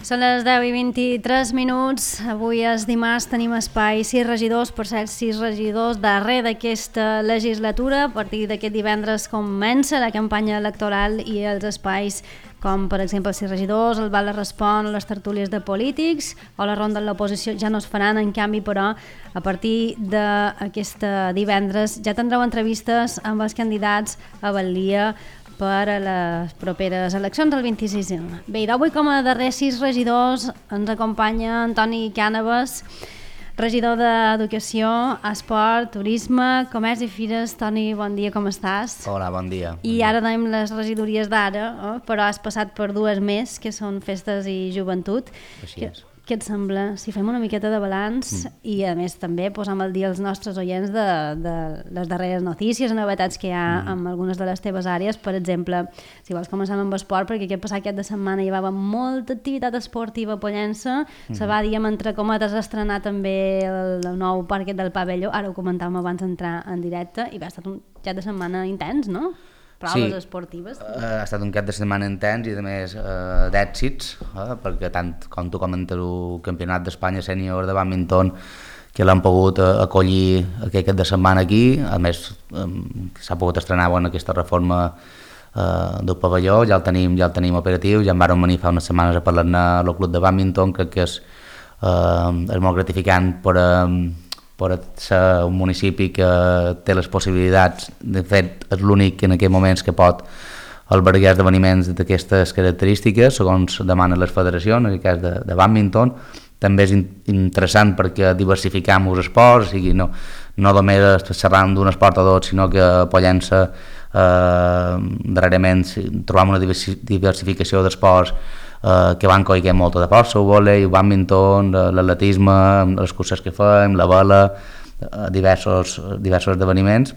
Són les 10:23. Avui és dimarts, tenim espai 6 regidors, per cert, 6 regidors darrer d'aquesta legislatura. A partir d'aquest divendres comença la campanya electoral i els espais com per exemple els 6 regidors, el Val Respon, les tertúlies de polítics o la ronda de l'oposició ja no es faran. En canvi, però, a partir d'aquest divendres ja tindreu entrevistes amb els candidats a Batllia per a les properes eleccions el 26. Bé, avui com a darrers 6 regidors ens acompanya Antoni Cànovas, regidor d'Educació, Esport, Turisme, Comerç i Fires. Toni, bon dia, com estàs? Hola, bon dia. I ara tenim les regidories d'ara, però has passat per dues més, que són Festes i Joventut. Així és. Què et sembla? Si fem una miqueta de balanç i a més també posam al dia els nostres oients de les darreres notícies, novetats que hi ha en algunes de les teves àrees. Per exemple, si vols començar amb esport, perquè aquest passat cap de setmana hi va haver molta activitat esportiva a Pollença. Se va dir, entre cometes, estrenar també el nou parquet del Pavelló. Ara ho comentàvem abans d'entrar en directe i va estar un cap de setmana intens, no? Proves esportives. Ha estat un cap de setmana intens i a més d'èxits, perquè tant com tu comentes el Campionat d'Espanya sènior de bàdminton que l'han pogut acollir aquest cap de setmana aquí, a més s'ha pogut estrenar aquesta reforma del pavelló, ja el tenim operatiu, ja en vàrem venir fa unes setmanes a parlar-ne al club de bàdminton. Crec que és molt gratificant per ser un municipi que té les possibilitats. De fet, és l'únic en aquests moments que pot albergar esdeveniments d'aquestes característiques, segons demanen les federacions, en aquest cas de bàdminton. També és interessant perquè diversificam els esports, o sigui, no només xerram d'un esport o dos, sinó que a Pollença darrerament trobam una diversificació d'esports que van coiguent molta de força, el vòlei, el bàdminton, l'atletisme, les curses que fem, la vela, diversos esdeveniments.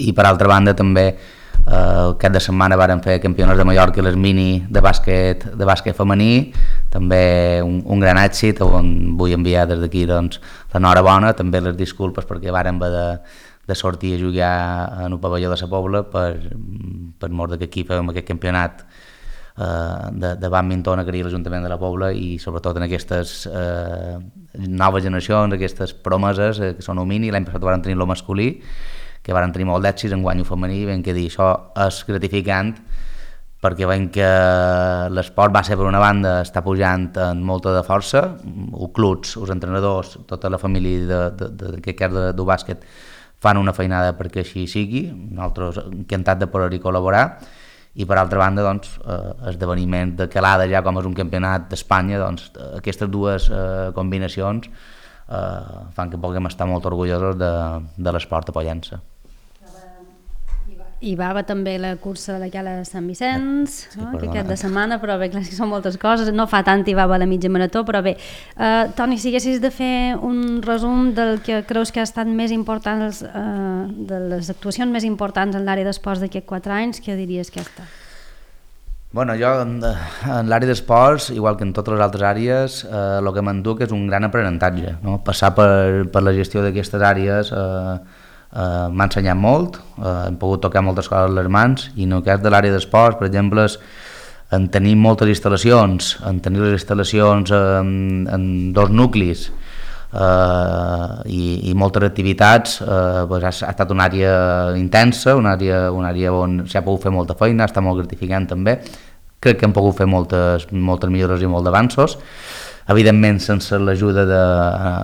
I per altra banda també cap de setmana vàrem fer campionats de Mallorca i les mini de bàsquet femení, també un gran èxit, on vull enviar des d'aquí l'enhorabona, també les disculpes perquè vàrem haver de sortir a jugar en el pavelló de la Pobla per mort que aquí fèiem aquest campionat de bàdminton a l'Ajuntament de la Pobla, i sobretot en aquestes noves generacions, aquestes promeses que són el mini. L'any passat van tenir el masculí, que van tenir molt d'èxits, en guany el femení. Vam que dir, això és gratificant perquè veiem que l'esport base, per una banda, està pujant en molta de força, els clubs, els entrenadors, tota la família del bàsquet fan una feinada perquè així sigui. Nosaltres encantats de poder-hi col·laborar. I per altra banda, esdeveniments de calada, ja com és un campionat d'Espanya, aquestes dues combinacions fan que puguem estar molt orgullosos de l'esport a Pollença. Hi va haver també la cursa de la Cala de Sant Vicenç, aquest de setmana, però bé, clar, que són moltes coses, no fa tant hi va haver la mitja marató, però bé. Toni, si haguessis de fer un resum del que creus que ha estat més important, de les actuacions més importants en l'àrea d'esports d'aquests 4 anys, què diries que ha estat? Bueno, jo en l'àrea d'esports, igual que en totes les altres àrees, el que m'enduc és un gran aprenentatge, no? Passar per la gestió d'aquestes àrees m'ha ensenyat molt, hem pogut tocar moltes coses a les mans, i en el cas de l'àrea d'esports, per exemple, en tenir moltes instal·lacions, en 2 nuclis i moltes activitats, ha estat una àrea intensa, una àrea on s'ha pogut fer molta feina, està molt gratificant també. Crec que hem pogut fer moltes millores i molts avanços. Evidentment, sense l'ajuda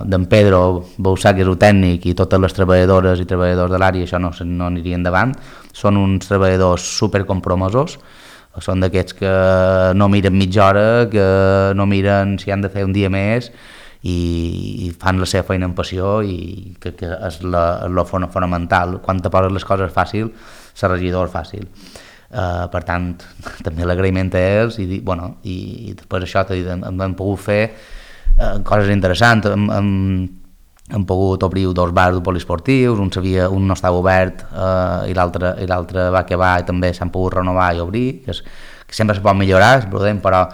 d'en Pedro Bausà, que és el tècnic, i totes les treballadores i treballadors de l'àrea, això no aniria endavant. Són uns treballadors supercompromesos, són d'aquests que no miren mitja hora, que no miren si han de fer un dia més, i fan la seva feina amb passió, i que és lo fonamental. Quan te poses les coses fàcil, ser regidor és fàcil. Per tant, també l'agraïment a ells, i després això hem pogut fer coses interessants. Hem pogut obrir 2 bars poliesportius, un no estava obert i l'altre va acabar, i també s'han pogut renovar i obrir, que sempre se pot millorar, és prudent, però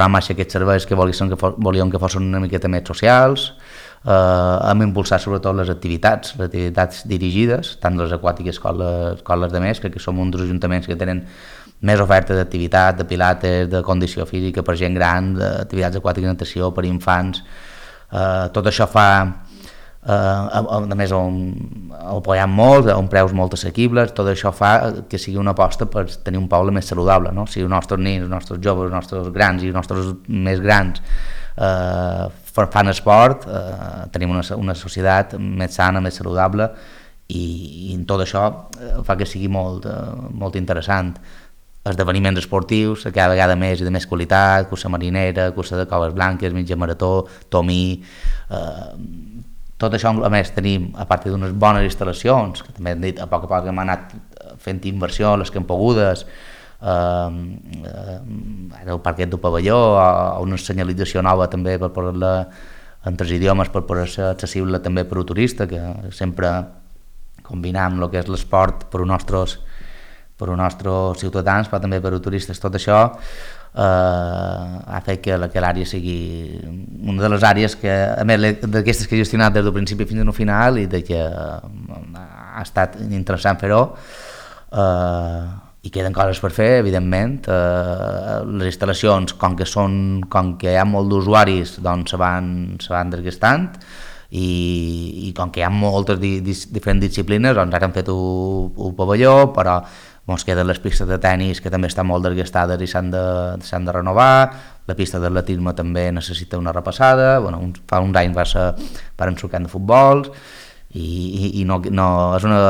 amb aquests serveis que volíem que fossin una miqueta més socials. Hem impulsat sobretot les activitats dirigides, tant les aquàtiques com les de més. Crec que som un dels ajuntaments que tenen més oferta d'activitat, de pilates, de condició física per gent gran, d'activitats aquàtiques i natació per infants. Tot això fa, a més, ho apoyem molt, a uns preus molt assequibles. Tot això fa que sigui una aposta per tenir un poble més saludable, no? Si els nostres nens, els nostres joves, els nostres grans i els nostres més grans fan esport, tenim una societat més sana, més saludable, i tot això fa que sigui molt interessant. Esdeveniments esportius, cada vegada més i de més qualitat, cursa marinera, cursa de coves blanques, mitja marató, tomí. Tot això, a més, tenim, a part d'unes bones instal·lacions, que també hem dit, a poc hem anat fent inversió, les que hem pogudes, el parquet del pavelló, o una senyalització nova també per posar-la en 3 idiomes, per poder ser accessible també per a turista, que sempre combinam el que és l'esport per als nostres ciutadans, però també per a turistes. Tot això ha fet que l'àrea sigui una de les àrees que, a més, d'aquestes que he gestionat des del principi fins al final, i que ha estat interessant fer-ho. I queden coses per fer, evidentment. Les instal·lacions, com que hi ha molt d'usuaris, doncs se van desgastant, i com que hi ha moltes diferents disciplines, doncs ara han fet un pavelló, però ens queden les pistes de tennis, que també estan molt desgastades i s'han de renovar. La pista d'atletisme també necessita una repassada. Fa uns anys van sortir de futbol, i no és una...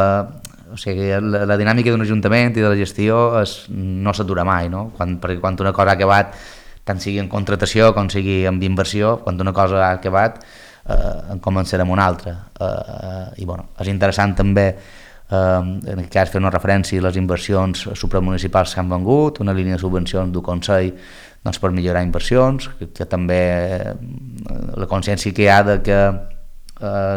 O sigui, la dinàmica d'un ajuntament i de la gestió no s'atura mai, no? Perquè quan una cosa ha acabat, tant sigui en contratació com sigui en inversió, quan una cosa ha acabat, en començarem una altra. I és interessant també, en aquest cas, fer una referència a les inversions supramunicipals que han vengut, una línia de subvencions del Consell per millorar inversions, que també la consciència que hi ha de que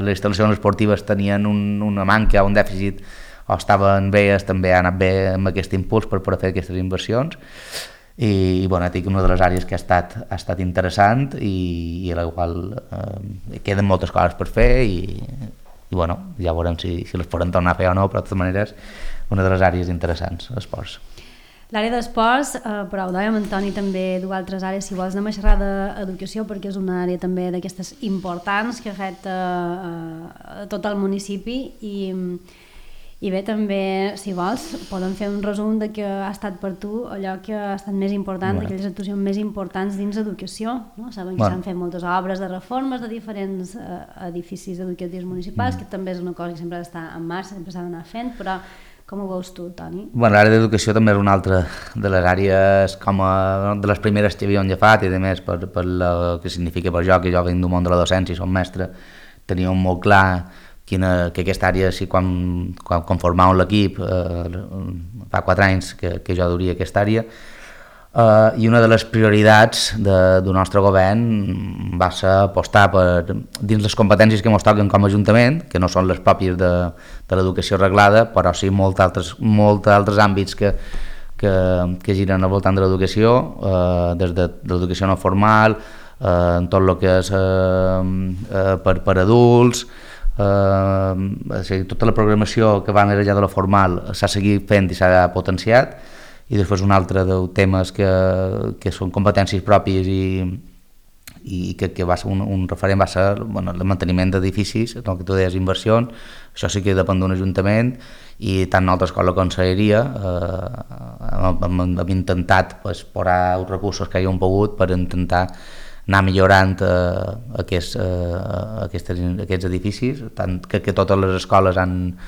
les instal·lacions esportives tenien una manca, un dèficit, o estaven bé, també ha anat bé amb aquest impuls per poder fer aquestes inversions. I dic, una de les àrees que ha estat interessant, i a la qual queden moltes coses per fer, i ja veurem si les podem tornar a fer o no, però de totes maneres una de les àrees interessants, esports. L'àrea d'esports, però ho dèiem, Antoni, també du altres àrees. Si vols anem a xerrar d'educació, perquè és una àrea també d'aquestes importants que afecta a tot el municipi, i bé, també, si vols, podem fer un resum de què ha estat per tu allò que ha estat més important, d'aquelles actuacions més importants dins d'educació, no? Sabem que s'han fet moltes obres de reformes de diferents edificis educatius municipals, que també és una cosa que sempre ha d'estar en marxa, sempre s'ha d'anar fent, però com ho veus tu, Toni? L'àrea d'educació també és una altra de les àrees de les primeres que havíem agafat, i a més per el que significa per jo, que jo vinc del món de la docència i som mestre, teníem molt clar que aquesta àrea, quan formàvem l'equip, fa 4 anys que jo duria aquesta àrea, i una de les prioritats del nostre govern va ser apostar dins les competències que ens toquen com a Ajuntament, que no són les pròpies de l'educació reglada, però sí molts altres àmbits que giren al voltant de l'educació, des de l'educació no formal, en tot el que és per adults, tota la programació que va més enllà de la formal s'ha seguit fent i s'ha potenciat, i després un altre dels temes que són competències pròpies i que va ser un referent va ser el manteniment d'edificis, el que tu deies, inversions. Això sí que depèn d'un ajuntament, i tant nosaltres com la conselleria hem intentat posar els recursos que havíem pogut per intentar anar millorant aquests edificis, tant que totes les escoles han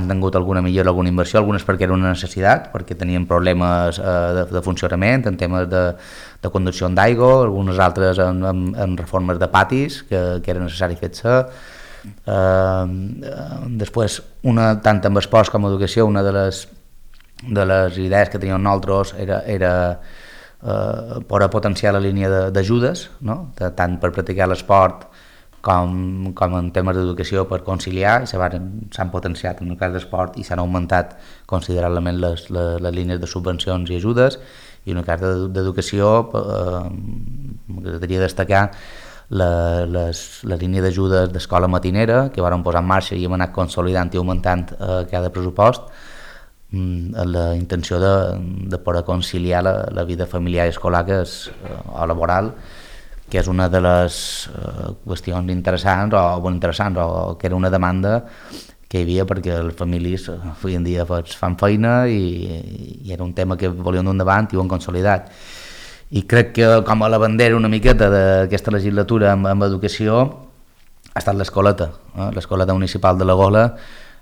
tingut alguna millora, alguna inversió, algunes perquè era una necessitat, perquè tenien problemes de funcionament, en temes de conducció d'aigua, algunes altres en reformes de patis, que era necessari fer-se. Després, tant amb esports com educació, una de les idees que teníem nosaltres era per potenciar la línia d'ajudes, no? Tant per practicar l'esport com en temes d'educació, per conciliar, i s'han potenciat en el cas d'esport i s'han augmentat considerablement les línies de subvencions i ajudes, i en el cas d'educació m'agradaria destacar la línia d'ajudes d'escola matinera, que vàrem posar en marxa i hem anat consolidant i augmentant cada pressupost, amb la intenció de poder conciliar la vida familiar i escolar o laboral, que és una de les qüestions interessants o que era una demanda que hi havia, perquè les famílies avui en dia fan feina i era un tema que volien d'un davant i ho han consolidat. I crec que com a la bandera una miqueta d'aquesta legislatura amb educació ha estat l'escoleta. L'escoleta municipal de la Gola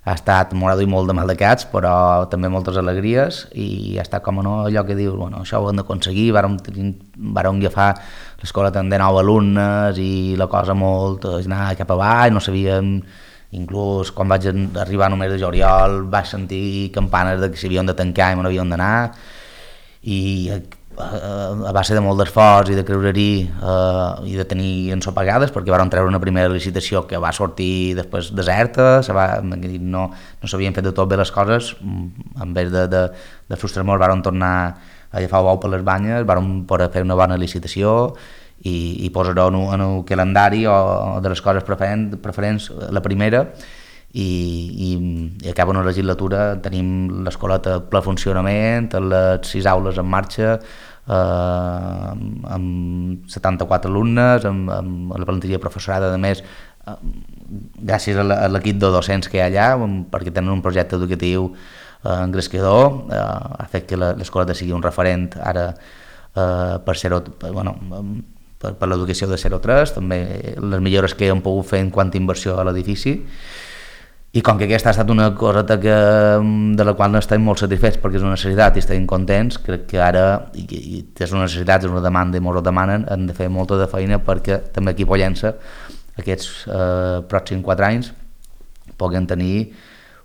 ha estat molt i molt de maldecats, però també moltes alegries, i ha estat com allò que dius, bueno, això ho hem d'aconseguir. Vàrem agafar l'escoleta amb 19 alumnes i la cosa molt anar cap avall, no sabíem. Inclús quan vaig arribar només de juliol vaig sentir campanes de que s'havien de tancar i me n'havien d'anar, i a base de molt d'esforç i de creurerí i de tenir ensopegades, perquè vàrem treure una primera licitació que va sortir després deserta, no s'havien fet de tot bé les coses. En vez de frustrar-nos vàrem tornar a agafar el bou per les banyes, vàrem poder fer una bona licitació i posar-ho en el calendari de les coses preferents la primera, i acaba una legislatura, tenim l'escoleta a ple funcionament, les 6 aules en marxa, amb 74 alumnes, amb la plantilla professorada, a més, gràcies a l'equip de docents que hi ha allà, perquè tenen un projecte educatiu engrescador, ha fet que l'escoleta sigui un referent ara per l'educació de 0-3, també les millores que hem pogut fer en quant a inversió a l'edifici. I com que aquesta ha estat una coseta de la qual no estem molt satisfets perquè és una necessitat i estem contents, crec que ara, i és una necessitat, és una demanda i molts ho demanen, hem de fer molta de feina perquè també aquí a Pollença aquests pròxims 4 anys puguem tenir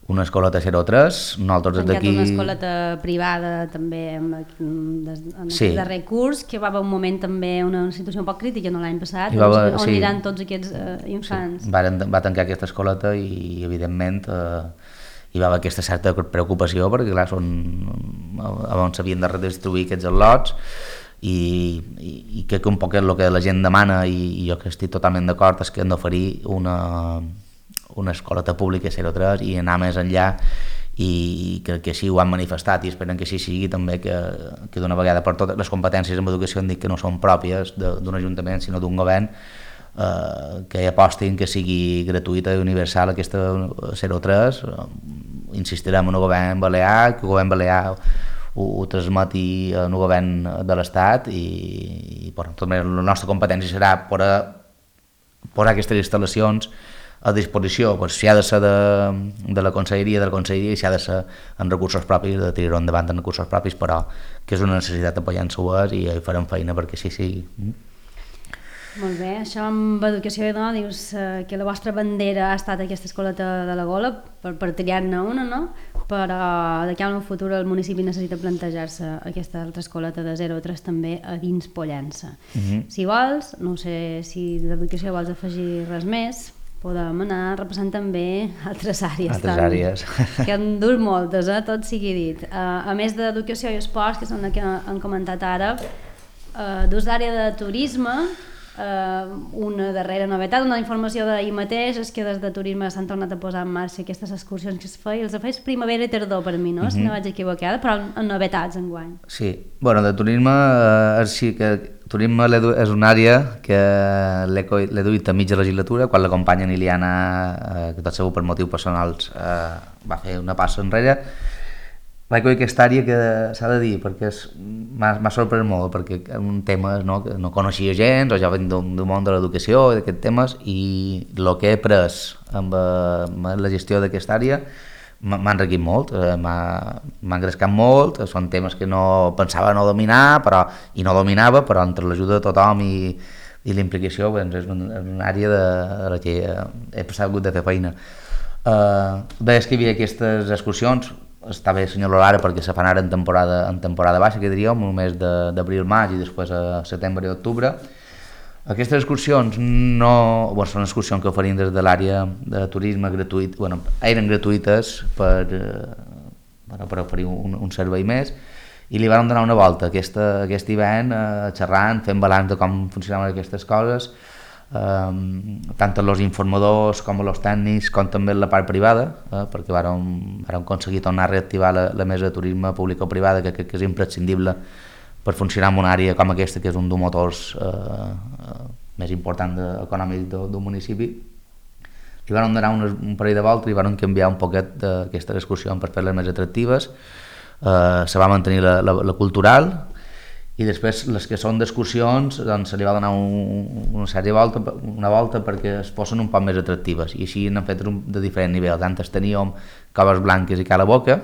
una escoleta 0-3. Nosaltres des d'aquí... Una escoleta privada també en aquest darrer curs, que va haver un moment també una situació un poc crítica l'any passat, on aniran tots aquests infants. Sí. Va tancar aquesta escoleta i evidentment hi va haver aquesta certa preocupació, perquè clar, on s'havien de redistribuir aquests lots, i crec que un poc el que la gent demana, i jo que estic totalment d'acord, és que hem d'oferir una escoleta pública 0-3 i anar més enllà, i crec que així ho han manifestat i esperen que així sigui també, que d'una vegada per totes les competències en educació han dit que no són pròpies d'un ajuntament sinó d'un govern, que apostin que sigui gratuïta i universal aquesta 0-3. Insistirem en el govern balear, que el govern balear ho transmeti en el govern de l'Estat, i la nostra competència serà posar aquestes instal·lacions a disposició, si ha de ser de la conselleria, i si ha de ser en recursos propis, de tirar-ho endavant en recursos propis, però que és una necessitat apoyant-se i hi farem feina perquè sí sigui. Molt bé, això amb educació, no? Dius que la vostra bandera ha estat aquesta escoleta de la Gola, per triar-ne una, no? Però d'aquí a un futur el municipi necessita plantejar-se aquesta altra escoleta de 0-3 també a dins Pollença. Si vols, no sé si d'educació vols afegir res més, podem anar repassant també altres àrees. Que han dut moltes, tot sigui dit. A més d'educació i esports, que són les que han comentat ara, dus l'àrea de turisme, una darrera novetat, una informació d'ahir mateix, és que des de turisme s'han tornat a posar en marxa aquestes excursions que es feien, els feia primavera i tardor per mi, no? Si no vaig equivocada, però amb novetats enguany. Sí, bueno, de turisme sí que turisme és una àrea que l'he duit a mitja legislatura, quan la companya Liliana, que tot segur per motius personals va fer una passa enrere. Vaig coll aquesta àrea que s'ha de dir, perquè m'ha sorprès molt, perquè és un tema que no coneixia gens, o ja venc d'un món de l'educació i d'aquests temes, i el que he après amb la gestió d'aquesta àrea m'ha enriquit molt, m'ha engrescat molt. Són temes que no pensava no dominar, i no dominava, però entre l'ajuda de tothom i l'implicació és una àrea de la que he hagut de fer feina. Deies que hi havia aquestes excursions, està bé assenyalar ara perquè se fan ara en temporada baixa, que diríem, un mes d'abril-maig i després a setembre i octubre. Aquestes excursions són excursions que oferim des de l'àrea de turisme gratuït, eren gratuïtes per oferir un servei més, i li vam donar una volta aquest hivern xerrant, fent balanç de com funcionaven aquestes coses, tant els informadors com els tècnics com també la part privada, perquè vàrem aconseguir tornar a reactivar la mesa de turisme públic o privada, que crec que és imprescindible per funcionar en una àrea com aquesta, que és un dels motors més important econòmic d'un municipi. Li van donar un parell de voltes i van canviar un poquet d'aquestes excursions per fer-les més atractives. Se va mantenir la cultural, i després les que són d'excursions doncs se li va donar una volta perquè es fossin un poc més atractives, i així n'han fet de diferents nivells. Antes teníem Coves Blanques i Cala Boca,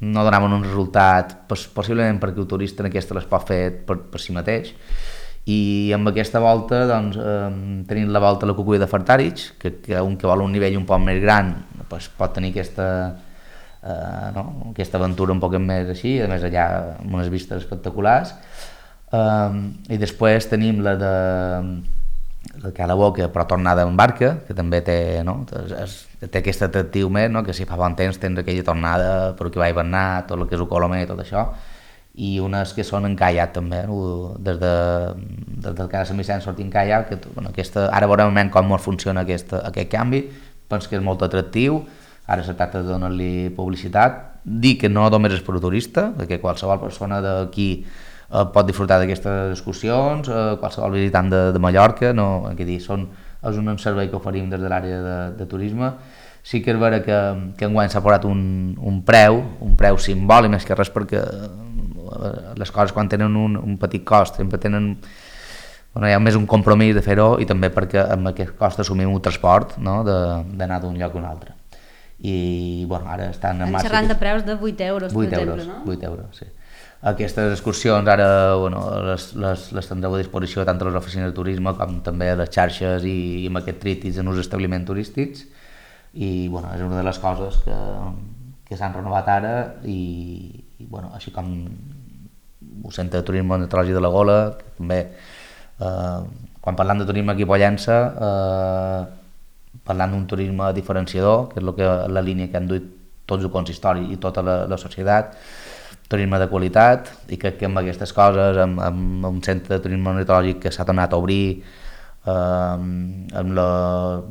no donaven un resultat, possiblement perquè el turista en aquesta les pot fer per si mateix, i amb aquesta volta doncs, tenim la volta a la Cuculla de Fartàrich, que un que vol un nivell un poc més gran doncs, pot tenir aquesta aventura un poc més així, a més allà amb unes vistes espectaculars. I després tenim la de Cala Boca, però tornada en barca, que també té aquest atractiu més, que si fa bon temps tens aquella tornada per aquí va hivernar, tot el que és el Colomer i tot això, i unes que són en caiac també, des del Cala Sant Vicenç sortint caiac, ara veurem com funciona aquest canvi. Penso que és molt atractiu. Ara se tracta de donar-li publicitat, dir que no només és per a turista, perquè qualsevol persona d'aquí pot disfrutar d'aquestes excursions, qualsevol visitant de Mallorca, és un servei que oferim des de l'àrea de turisme. Sí que és vera que enguany s'ha posat un preu simbòlic, més que res perquè les coses quan tenen un petit cost sempre tenen... hi ha més un compromís de fer-ho, i també perquè amb aquest cost assumim un transport, d'anar d'un lloc a un altre. I ara estan en marxa... xerrant de preus de 8 euros, per exemple, no? 8 euros, sí. Aquestes excursions ara les tindreu a disposició tant a les oficines de turisme com també a les xarxes i amb aquest tríptic en els establiments turístics, i és una de les coses que s'han renovat ara, i així com el Centre de Turisme Ornitològic de la Gola, que també quan parlam de turisme aquí a Pollença parlant d'un turisme diferenciador, que és la línia que han duit tots el consistori i tota la societat, turisme de qualitat, i crec que amb aquestes coses, amb un centre de turisme ornitològic que s'ha tornat a obrir, amb el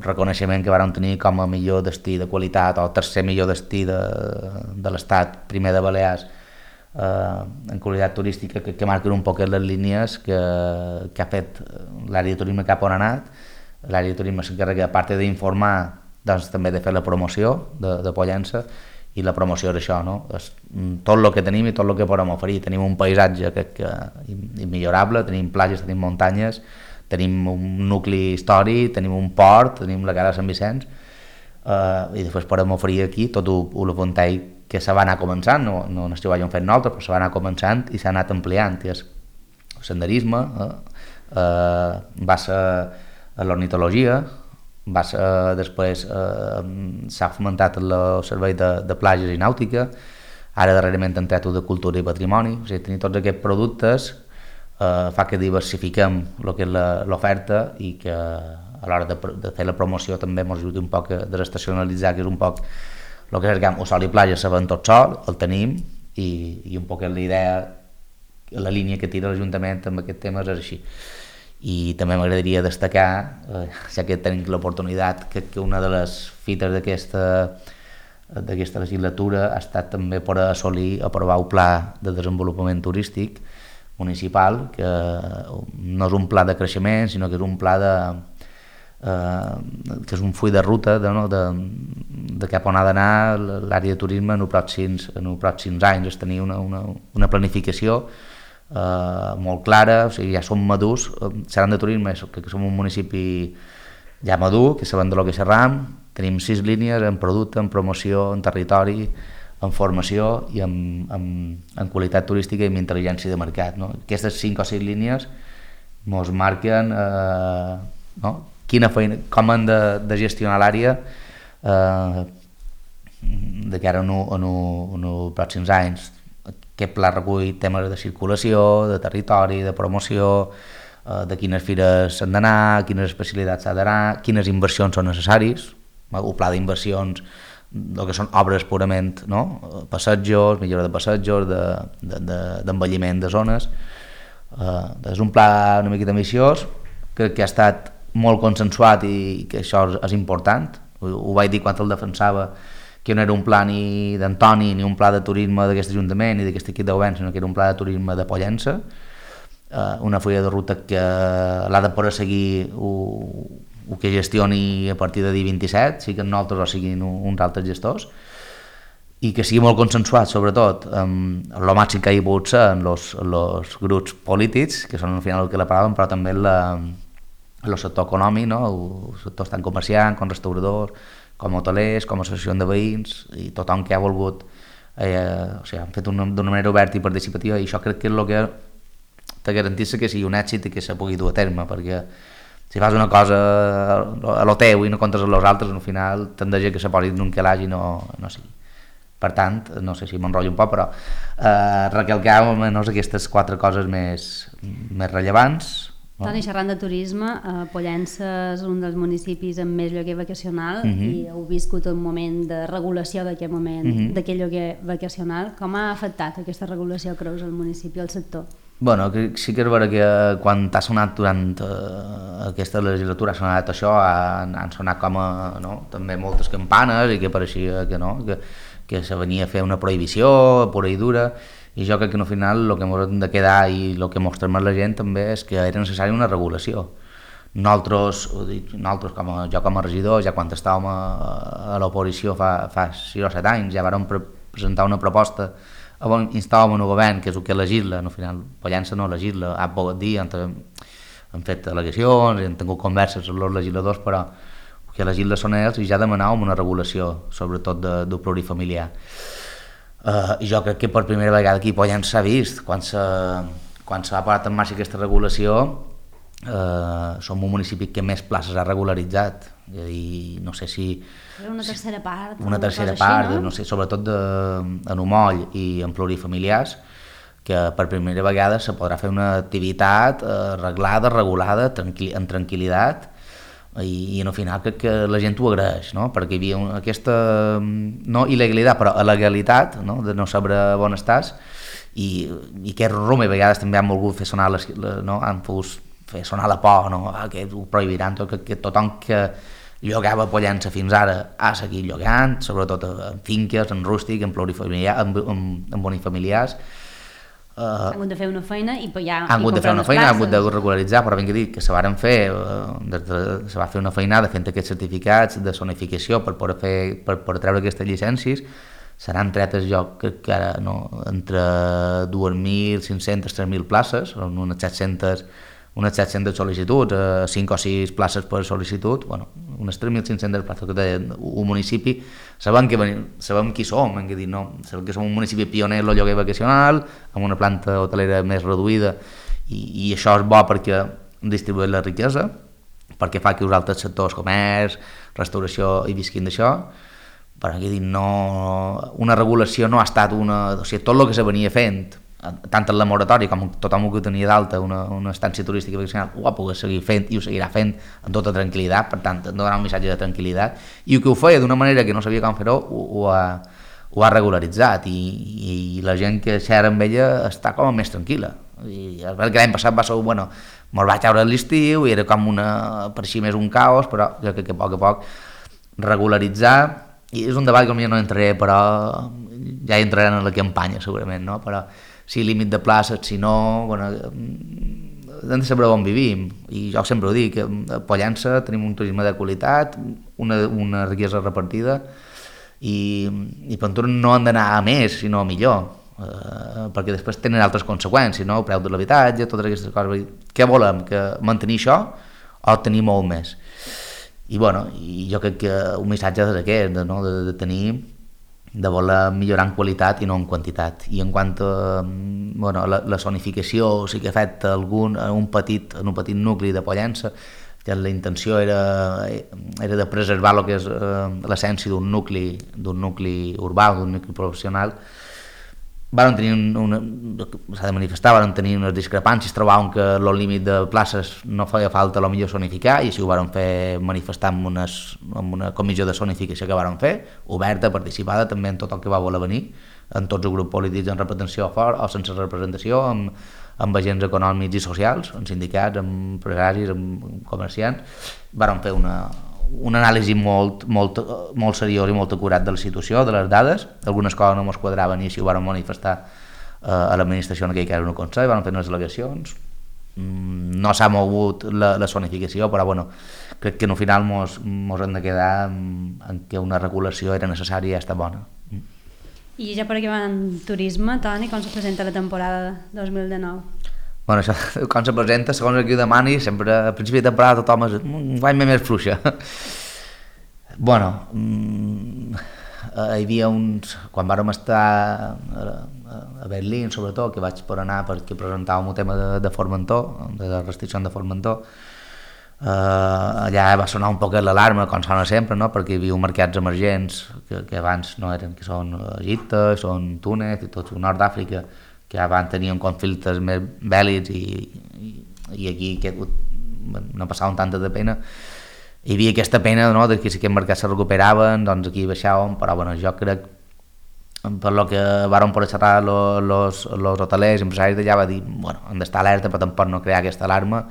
reconeixement que vàrem tenir com a millor destí de qualitat o tercer millor destí de l'estat, primer de Balears, en qualitat turística, que marquen un poc les línies que ha fet l'àrea de turisme cap on ha anat. L'àrea de turisme s'encarrega, a part d'informar, doncs també de fer la promoció de Pollença, i la promoció és això, és tot el que tenim i tot el que podem oferir. Tenim un paisatge immillorable, tenim platges, tenim muntanyes, tenim un nucli històric, tenim un port, tenim la Cala Sant Vicenç, i després podem oferir aquí tot el ventall que se va anar començant, no és que ho hàgim fet nosaltres, però se va anar començant i s'ha anat ampliant, que és el senderisme, va ser l'ornitologia, després s'ha fomentat el servei de platges i nàutica, ara darrerament han tret de cultura i patrimoni. O sigui, tenir tots aquests productes fa que diversifiquem el que és l'oferta, i que a l'hora de fer la promoció també ens ajudi un poc a desestacionalitzar, que és un poc el que és el sol i platja, sabem tot sol, el tenim, i un poc la idea, la línia que tira l'Ajuntament amb aquest tema és així. I també m'agradaria destacar, ja que tenim l'oportunitat, que una de les fites d'aquesta legislatura ha estat també per assolir, aprovar el Pla de Desenvolupament Turístic Municipal, que no és un pla de creixement, sinó que és un pla que és un full de ruta de cap on ha d'anar l'àrea de turisme en els pròxims anys. És tenir una planificació molt clara, o sigui, ja som madurs, xerrant de turisme, que som un municipi ja madur, que sabem del que xerram, tenim 6 línies en producte, en promoció, en territori, en formació i en qualitat turística i en intel·ligència de mercat. Aquestes 5 o 6 línies ens marquen quina feina, com hem de gestionar l'àrea de cara en els pròxims anys. Aquest pla recull temes de circulació, de territori, de promoció, de quines fires s'han d'anar, quines especialitats s'ha d'anar, quines inversions són necessaris, el pla d'inversions, el que són obres purament, passejos, millora de passejos, d'envelliment de zones. És un pla una miqueta ambiciós, que ha estat molt consensuat i que això és important. Ho vaig dir quan el defensava, que no era un pla ni d'Antoni ni un pla de turisme d'aquest Ajuntament ni d'aquest equip de govern, sinó que era un pla de turisme de Pollença, una fulla de ruta que l'ha de poder seguir el que gestioni a partir de dia 27, sigui nosaltres o siguin uns altres gestors, i que sigui molt consensuat, sobretot, amb el màxim que hi ha pogut ser en els grups polítics, que són al final el que la paraven, però també el sector econòmic, no? El sector tant comerciant, com restauradors, com hotelers, com associació de veïns, i tothom que ha volgut, han fet d'una manera oberta i participativa, i això crec que és el que te garanteix que sigui un èxit i que se pugui dur a terme, perquè si fas una cosa a lo teu i no comptes amb els altres, al final tendeix que se posi en un calaix i no sigui. Per tant, no sé si m'enrotllo un poc, però recalcar almenys aquestes 4 coses més rellevants. Toni, xerrant de turisme, Pollença és un dels municipis amb més lloguer vacacional i heu viscut un moment de regulació d'aquest moment, d'aquest lloguer vacacional. Com ha afectat aquesta regulació, creus, al municipi, al sector? Bueno, sí que és vera que quan t'ha sonat durant aquesta legislatura ha sonat això, han sonat com també moltes campanes i que pareixia que se venia a fer una prohibició pura i dura, i jo crec que al final el que ens hem de quedar i el que mostrem a la gent també és que era necessària una regulació. Nosaltres com a regidor, ja quan estàvem a l'oposició fa 6 o 7 anys, ja vàrem presentar una proposta on instàvem el govern, que és el que legisla, al final Pollença no legisla, ha pogut dir, han fet al·legacions, han tingut converses amb els legisladors, però el que legisla són ells, i ja demanàvem una regulació, sobretot del plurifamiliar. I jo crec que per primera vegada aquí a Pollença s'ha vist, quan s'ha posat en marxa aquesta regulació, som un municipi que més places ha regularitzat, i no sé si... Una tercera part. Una tercera part, no sé, sobretot en Humoll i en plurifamiliars, que per primera vegada se podrà fer una activitat arreglada, regulada, en tranquil·litat, i al final crec que la gent ho agraeix, no? Perquè hi havia aquesta, no il·legalitat, però legalitat, no? De no saber on estàs, i aquest rumor a vegades també han volgut fer sonar han pogut fer sonar la por, no? Que ho prohibiran, que tothom que llogava a Pollença fins ara ha seguit llogant, sobretot en finques, en rústic, en plurifamiliars, en bonifamiliars. Han hagut de fer una feina i ja han hagut de fer una feina, han hagut de regularitzar, però ben que dir que se van fer, se va fer una feinada fent aquests certificats de zonificació per poder treure aquestes llicències. Seran tretes, jo crec que ara entre 2.500 i 3.000 places, unes 700 sol·licituds, 5 o 6 places per sol·licitud, unes 3.500 places que té un municipi. Sabem qui som, hem de dir, sabem que som un municipi pioner en el lloguer vacacional, amb una planta hotelera més reduïda, i això és bo perquè distribueix la riquesa, perquè fa que els altres sectors, comerç, restauració, hi visquin d'això, però hem de dir, una regulació no ha estat tot el que se venia fent, tant en la moratòria com tothom que tenia d'alta una estància turística vacacional ho ha pogut seguir fent i ho seguirà fent amb tota tranquil·litat, per tant donar un missatge de tranquil·litat, i el que ho feia d'una manera que no sabia com fer-ho ho ha regularitzat, i la gent que xerra amb ella està com més tranquil·la. I l'any passat va ser, me'l vaig treure a l'estiu i era com per així més un caos, però jo crec que a poc regularitzar, i és un debat que no entraré, però ja hi entraran en la campanya segurament, no? Però si límit de places, si no, hem de saber on vivim, i jo sempre ho dic, a Pollença tenim un turisme de qualitat, una riquesa repartida, i per tant no han d'anar a més, sinó a millor, perquè després tenen altres conseqüències, no? El preu de l'habitatge, totes aquestes coses. Què volem? Que mantenir això o tenir molt més? I jo crec que un missatge és aquest, de tenir, de voler millorar en qualitat i no en quantitat. I en quant a la zonificació, sí que ha fet en un petit nucli de Pollença, que la intenció era de preservar el que és l'essència d'un nucli urbà, d'un nucli professional. S'ha de manifestar, van tenir unes discrepàncies, trobaven que el límit de places no feia falta millor zonificar, i així ho van fer manifestar amb una comissió de zonificació que van fer, oberta, participada també en tot el que va voler venir, en tots els grups polítics en representació fort o sense representació, amb amb agents econòmics i socials, amb sindicats, amb empresaris, amb comerciants. Vàrem fer una anàlisi molt seriós i molt acurat de la situació, de les dades. Algunes coses no ens quadraven i així ho vàrem manifestar a l'administració en aquell cas en un consell, vàrem fer unes al·legacions. No s'ha mogut la zonificació, però bueno, crec que al final mos hem de quedar en que una regulació era necessària i està bona. I ja per acabar en turisme, Toni, com se presenta la temporada 2019? Bueno, això, com se presenta, segons qui ho demani, sempre a principi de temporada tothom és un guany més fluixa. Bueno, hi havia uns... Quan vàrem estar a Berlín, sobretot, que vaig per anar perquè presentàvem un tema de Formentor, de la restricció de Formentor, allà va sonar un poc l'alarma, com sona sempre, no? Perquè hi havia mercats emergents que abans no eren, que són Egipte, són Túnez i tot el nord d'Àfrica, que abans tenien conflictes més bèl·lics i aquí no passaven tanta de pena. Hi havia aquesta pena, no?, de que si aquests mercats se recuperaven, doncs aquí baixàvem, però bueno, jo crec, per lo que vàrem poder xerrar los hotelers, empresaris d'allà, va dir, bueno, hem d'estar alerta, però tampoc no crear aquesta alarma.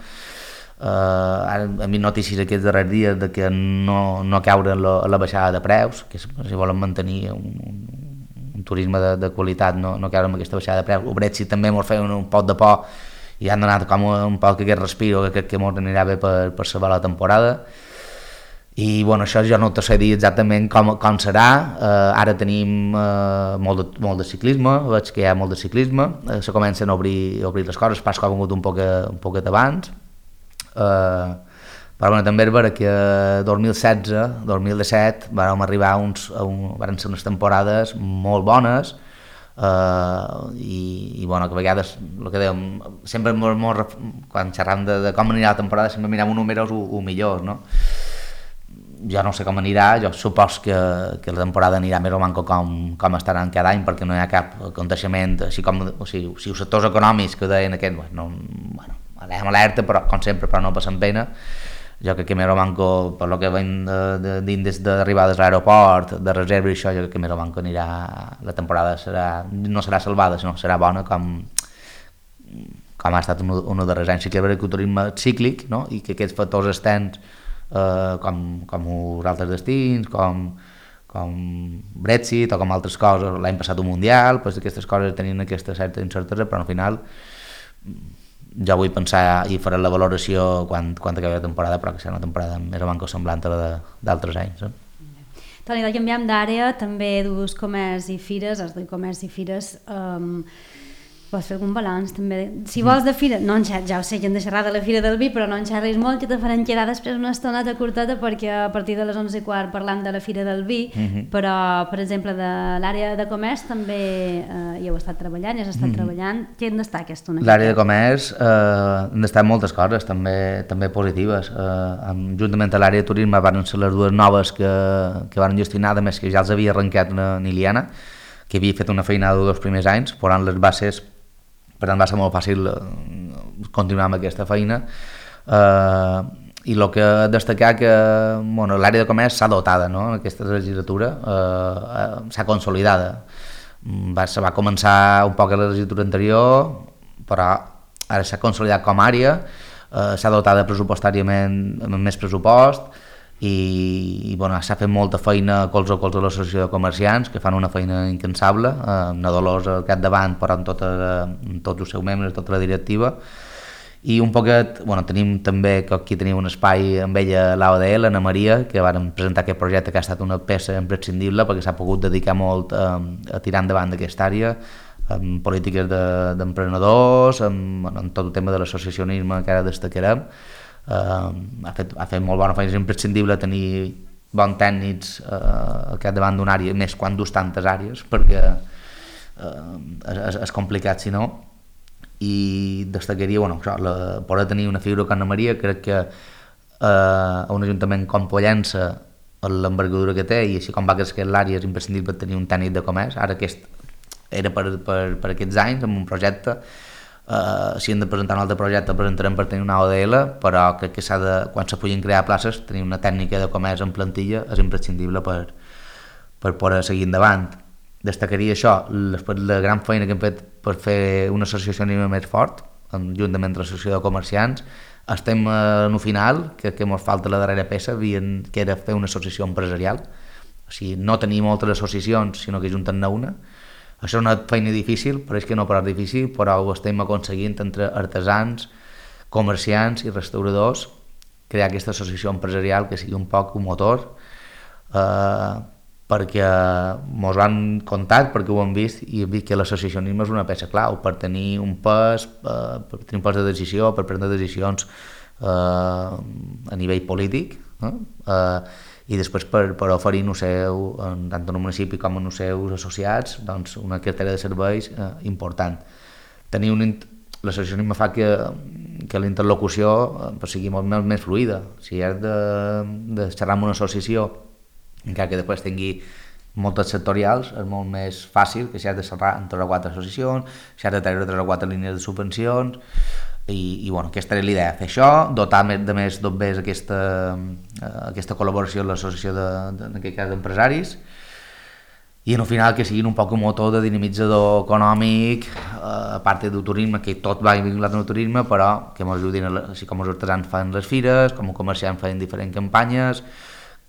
Ara hem vist notícies aquests darrers dies de que no caure en la baixada de preus, que si volen mantenir un turisme de qualitat, no caure en aquesta baixada de preus. El Brexit també ens feia un poc de por i han donat com un poc aquest respiro que crec que ens anirà bé per salvar la temporada. I bueno, això jo no te sé dir exactament com serà. Ara tenim molt de ciclisme, veig que hi ha molt de ciclisme, se comencen a obrir les coses, pas que ha vingut un poquet abans. Però bueno, també és vera que 2016, 2017 vam arribar van ser unes temporades molt bones i bueno, que a vegades el que dèiem, sempre quan xerram de com anirà la temporada sempre mirem números o millors, no? Jo no sé com anirà, jo supos que la temporada anirà més o manco com estaran cada any, perquè no hi ha cap aconteixement, així com si els sectors econòmics que deien aquest, bueno, anem alerta, però com sempre, però no passen pena. Jo crec que més o manco, per lo que veiem d'índex d'arribades a l'aeroport, de reserva i això, jo crec que més o manco anirà, la temporada no serà salvada, sinó serà bona com ha estat un dels darrers anys. Sí que és veritat que el turisme cíclic, no?, i que aquests factors externs com els altres destins, com Brexit o com altres coses, l'any passat un Mundial, doncs aquestes coses tenien aquesta certa incertesa, però al final jo vull pensar i faré la valoració quan acabi la temporada, però que serà una temporada més o manco semblant a la d'altres anys. Toni, canviem d'àrea, també dus comerç i fires, has de comerç i fires, vols fer algun balanç també? Si vols de fira, ja ho sé que hem de xerrar de la Fira del Vi, però no en xerris molt, que te farem quedar després una estoneta curteta perquè a partir de les 11:15 parlant de la Fira del Vi, però per exemple de l'àrea de comerç també hi heu estat treballant, treballant. Què en destaca aquesta una? L'àrea de comerç han d'estar moltes coses també positives. Juntament a l'àrea de turisme van ser les dues noves que van gestionar, a més que ja els havia arrencat una Iliana, que havia fet una feinada dels primers anys, posant les bases. Per tant, va ser molt fàcil continuar amb aquesta feina. I el que destacar que l'àrea de comerç s'ha dotada, no? Aquesta legislatura s'ha consolidada. Se va començar un poc a la legislatura anterior, però ara s'ha consolidat com a àrea, s'ha dotat pressupostàriament amb més pressupost i s'ha fet molta feina colze a colze a l'associació de comerciants, que fan una feina incansable, amb la Dolors al capdavant, però amb tots els seus membres, tota la directiva. I un poquet, tenim també, que aquí tenim un espai amb ella, l'AODL, Ana Maria, que vam presentar aquest projecte que ha estat una peça imprescindible perquè s'ha pogut dedicar molt a tirar endavant d'aquesta àrea, amb polítiques d'emprenedors, amb tot el tema de l'associacionisme que ara destacarem. Ha fet molt bona feina, és imprescindible tenir bons tècnics al capdavant d'una àrea, més quan dus tantes àrees, perquè és complicat si no. I destacaria poder tenir una figura com Ana Maria. Crec que a un ajuntament com Pollença, l'envergadura que té i així com va créixer l'àrea, és imprescindible tenir un tècnic de comerç. Ara aquest era per aquests anys amb un projecte. Si hem de presentar un altre projecte el presentarem per tenir una AODL, però crec que quan se puguin crear places, tenir una tècnica de comerç en plantilla és imprescindible per poder seguir endavant. Destacaria això, després la gran feina que hem fet per fer una associacionisme més fort, juntament amb l'associació de comerciants, estem en el final, que ens falta la darrera peça, que era fer una associació empresarial. O sigui, no tenir moltes associacions, sinó que junten-ne una. Això és una feina difícil, però és que no prou difícil, però ho estem aconseguint entre artesans, comerciants i restauradors, crear aquesta associació empresarial que sigui un poc un motor, perquè ens van contar, perquè ho hem vist, i hem vist que l'associacionisme és una peça clau per tenir un pes, de decisió, per prendre decisions a nivell polític, i després per oferir tant en el municipi com en els seus associats, doncs, una cartera de serveis important. L'associacionisme fa que la interlocució sigui molt més fluida. Si has de xerrar amb una associació, encara que després tingui moltes sectorials, és molt més fàcil que si has de xerrar amb 3 o 4 associacions, si has de treure 3 o 4 línies de subvencions, i bueno, aquesta era l'idea, fer això, dotar de més d'obvers aquesta col·laboració amb l'associació en aquest cas d'empresaris, i en el final que siguin un poc un motor de dinamitzador econòmic, a part del turisme, que tot va vinculat al turisme, però que ens ajudin, així com els artesans fan les fires, com els comerciants fan diferents campanyes,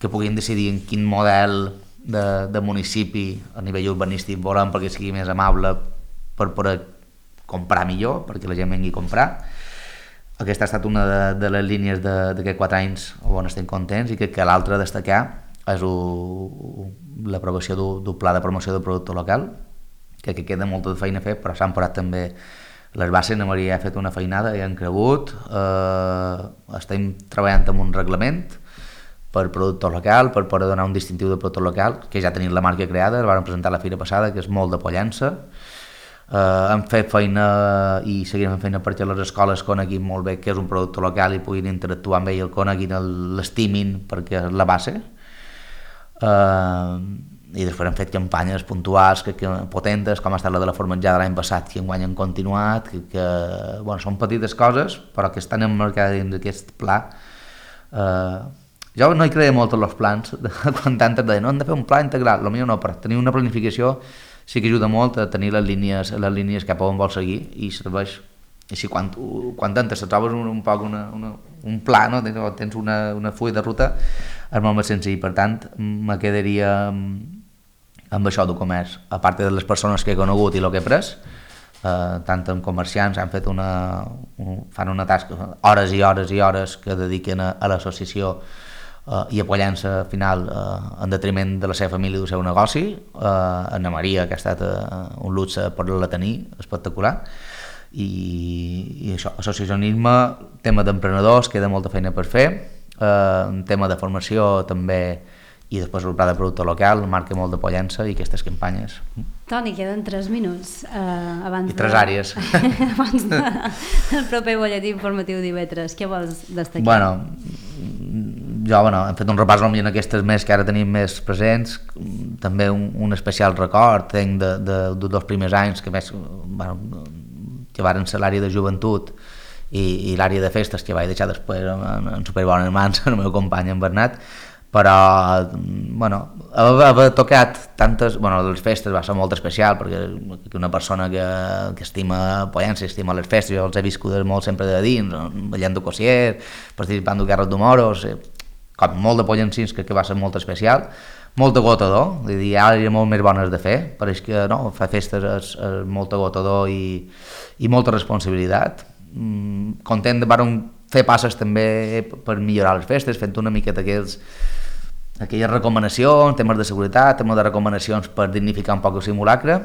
que puguin decidir en quin model de municipi a nivell urbanístic volem perquè sigui més amable per poder comprar millor, perquè la gent vengui a comprar. Aquesta ha estat una de les línies d'aquests 4 anys on estem contents, i que l'altra a destacar és l'aprovació d'un pla de promoció del producte local, que queda molta feina a fer, però s'han posat també les bases. La Maria ha fet una feinada i han cregut. Estem treballant amb un reglament per producte local, per poder donar un distintiu de producte local, que ja tenim la marca creada, la vam presentar la fira passada, que és molt de Pollença. Hem fet feina i seguirem fent feina perquè les escoles coneguin molt bé què és un producte local i puguin interactuar amb ell, el coneguin, l'estimin, perquè és la base. I després hem fet campanyes puntuals potentes, com ha estat la de la formatjada l'any passat, que enguany han continuat, que són petites coses però que estan emmarcades dins d'aquest pla. Jo no hi creia molt en els plans, quan tantes deien no, hem de fer un pla integral, potser no, però tenir una planificació sí que ajuda molt a tenir les línies cap a on vols seguir, i serveix. Així quan tantes trobes un poc un pla, no? Tens una full de ruta, és molt més senzill. Per tant, me quedaria amb això del comerç, a part de les persones que he conegut i el que he pres, tant en comerciants fan una tasca, hores i hores i hores que dediquen a l'associació i a Pollença final en detriment de la seva família i del seu negoci. Anna Maria, que ha estat un luxe poder-la tenir, espectacular. I això, associacionisme, tema d'emprenedors, queda molta feina per fer, tema de formació també, i després el pla de producte local, marca molt de Pollença i aquestes campanyes. Toni, queden 3 minuts abans I 3 àrees. Abans del proper butlletí informatiu d'IV3. Què vols destacar? Jo hem fet un repàs en aquestes més que ara tenim més presents, també un especial record tenc dels primers anys que varen ser l'àrea de joventut i l'àrea de festes, que vaig deixar després en superbones mans el meu company en Bernat, però haver tocat tantes, les festes va ser molt especial, perquè una persona que estima Pollença, estima les festes, jo els he viscut molt sempre de dins, ballant de Cossier, participant de guerres d'Humoros, com molt de pollencins, que va ser molt especial, molt agotador, hi ha molt més bones de fer, però és que fer festes és molt agotador i molta responsabilitat. Content de fer passes també per millorar les festes, fent una miqueta aquelles recomanacions, temes de seguretat, temes de recomanacions per dignificar un poc el simulacre,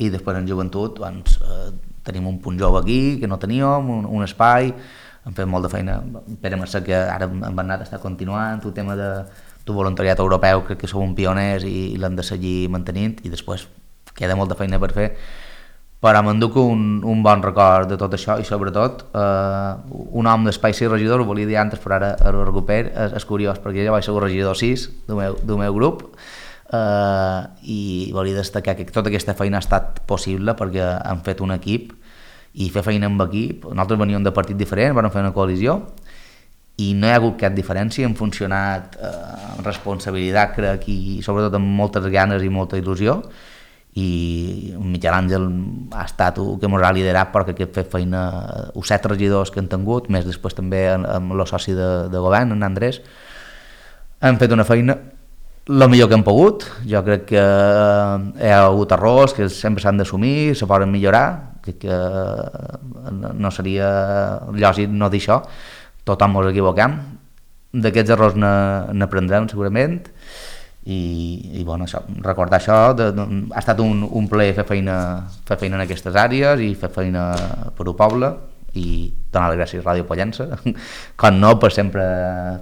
i després en joventut tenim un punt jove aquí que no teníem, un espai, hem fet molt de feina. Pere Mercè, que ara en Bernat està continuant, el tema del voluntariat europeu, crec que som un pioners i l'hem de seguir mantenint, i després queda molta feina per fer, però m'enduc un bon record de tot això, i sobretot un home d'espai 6 regidor, ho volia dir antes però ara ho recupero, és curiós perquè jo vaig ser el regidor 6 del meu grup, i volia destacar que tota aquesta feina ha estat possible perquè hem fet un equip, i fer feina amb equip. Nosaltres veníem de partits diferents, vam fer una coalició i no hi ha hagut cap diferència, hem funcionat amb responsabilitat, crec, i sobretot amb moltes ganes i molta il·lusió, i Miquel Àngel ha estat el que ens ha liderat perquè aquest fet feina, els 7 regidors que han tingut, més després també amb el soci de govern, en Andrés, han fet una feina el millor que hem pogut. Jo crec que hi ha hagut errors que sempre s'han d'assumir, se poden millorar, que no seria lògic no dir això, tothom ens equivoquem, d'aquests errors n'aprendrem segurament, i bueno, això, recordar això, ha estat un plaer fer feina en aquestes àrees i fer feina per al poble, i donar les gràcies a Ràdio Pollença, com no, per sempre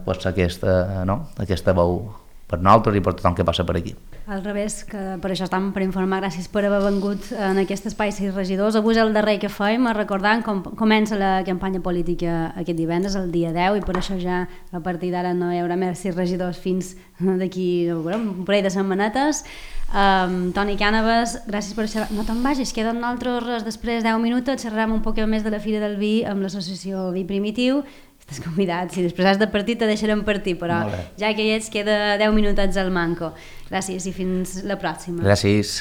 aquesta veu per nosaltres i per tothom que passa per aquí. Al revés, que per això estem per informar, gràcies per haver vengut en aquest espai 6 regidors. Avui és el darrer que fem, recordant com comença la campanya política aquest divendres, el dia 10, i per això ja a partir d'ara no hi haurà més 6 regidors fins d'aquí un parell de setmanetes. Toni Cànovas, gràcies per xerrar. No te'n vagis, queden nosaltres després 10 minuts, xerrarem un poc més de la Fira del Vi amb l'associació Vi Primitiu. Estàs convidat, si després has de partir te deixarem partir, però ja que hi ets queda 10 minutets al manco. Gràcies i fins la pròxima. Gràcies.